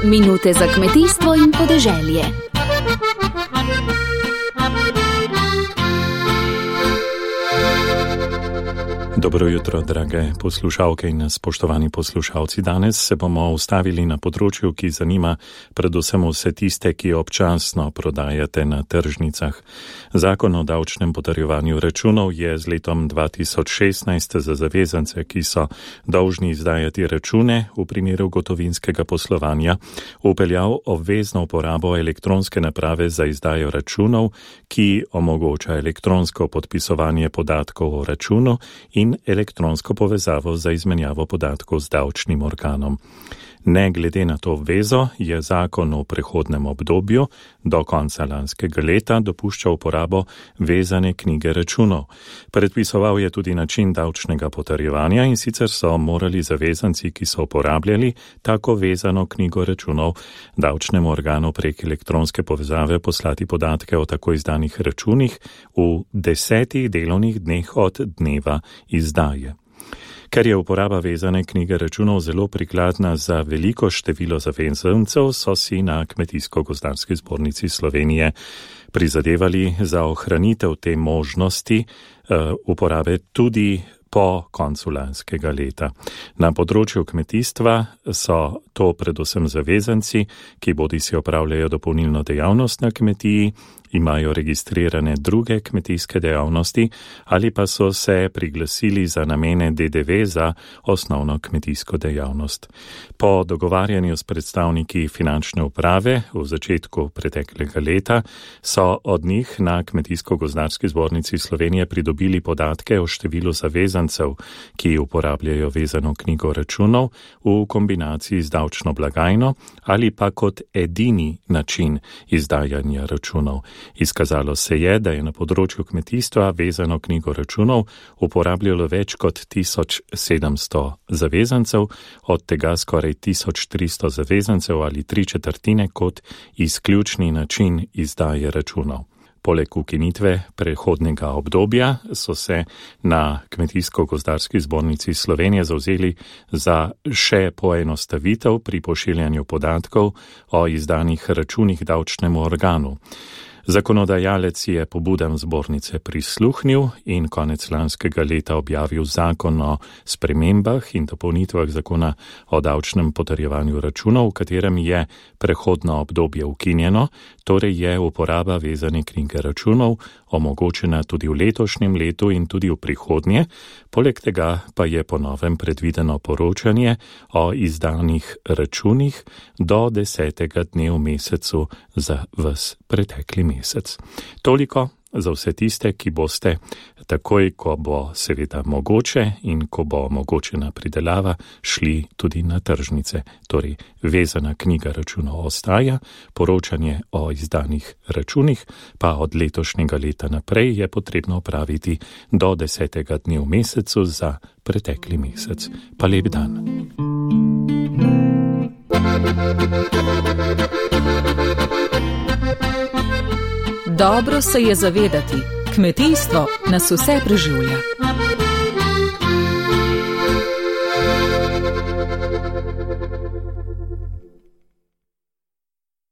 Minute za kmetijstvo in podeželje. Dobro jutro, drage poslušalke in spoštovani poslušalci. Danes se bomo ustavili na področju, ki zanima predvsem vse tiste, ki občasno prodajate na tržnicah. Zakon o davčnem potrjevanju računov je z letom 2016 za zavezance, ki so dolžni izdajati račune v primeru gotovinskega poslovanja, vpeljal obvezno uporabo elektronske naprave za izdajo računov, ki omogoča elektronsko podpisovanje podatkov o računu in elektronsko povezavo za izmenjavo podatkov z davčnim organom. Ne glede na to obvezo je zakon v prehodnem obdobju do konca lanskega leta dopuščal uporabo vezane knjige računov. Predpisoval je tudi način davčnega potrjevanja in sicer so morali zavezanci, ki so uporabljali tako vezano knjigo računov, davčnemu organu prek elektronske povezave poslati podatke o tako izdanih računih v 10 delovnih dneh od dneva izdaje. Ker je uporaba vezane knjige računov zelo prikladna za veliko število zavezancev, so si na Kmetijsko-gozdarski zbornici Slovenije prizadevali za ohranitev te možnosti uporabe tudi po koncu lanskega leta. Na področju kmetijstva so to predvsem zavezanci, ki bodisi opravljajo dopolnilno dejavnost na kmetiji, imajo registrirane druge kmetijske dejavnosti ali pa so se priglasili za namene DDV za osnovno kmetijsko dejavnost. Po dogovarjanju s predstavniki finančne uprave v začetku preteklega leta so od njih na Kmetijsko-gozdarski zbornici Slovenije pridobili podatke o številu zavezancev, ki uporabljajo vezano knjigo računov v kombinaciji z davčno blagajno ali pa kot edini način izdajanja računov. Izkazalo se je, da je na področju kmetijstva vezano knjigo računov uporabljalo več kot 1700 zavezancev, od tega skoraj 1300 zavezancev ali 3/4 kot izključni način izdaje računov. Poleg ukinitve prehodnega obdobja so se na Kmetijsko-gozdarski zbornici Slovenije zavzeli za še poenostavitev pri pošiljanju podatkov o izdanih računih davčnemu organu. Zakonodajalec je pobudam zbornice prisluhnil in konec lanskega leta objavil zakon o spremembah in dopolnitvah zakona o davčnem potrjevanju računov, v katerem je prehodno obdobje ukinjeno, torej je uporaba vezane knjige računov omogočena tudi v letošnjem letu in tudi v prihodnje, poleg tega pa je po novem predvideno poročanje o izdanih računih do 10. dne v mesecu za ves pretekli mesec. Toliko za vse tiste, ki boste takoj, ko bo seveda mogoče in ko bo omogočena pridelava, šli tudi na tržnice. Torej, vezana knjiga računov ostaja, poročanje o izdanih računih pa od letošnjega leta naprej je potrebno opraviti do 10. dne v mesecu za pretekli mesec. Pa lep dan. Dobro se je zavedati, kmetijstvo nas vse preživlja.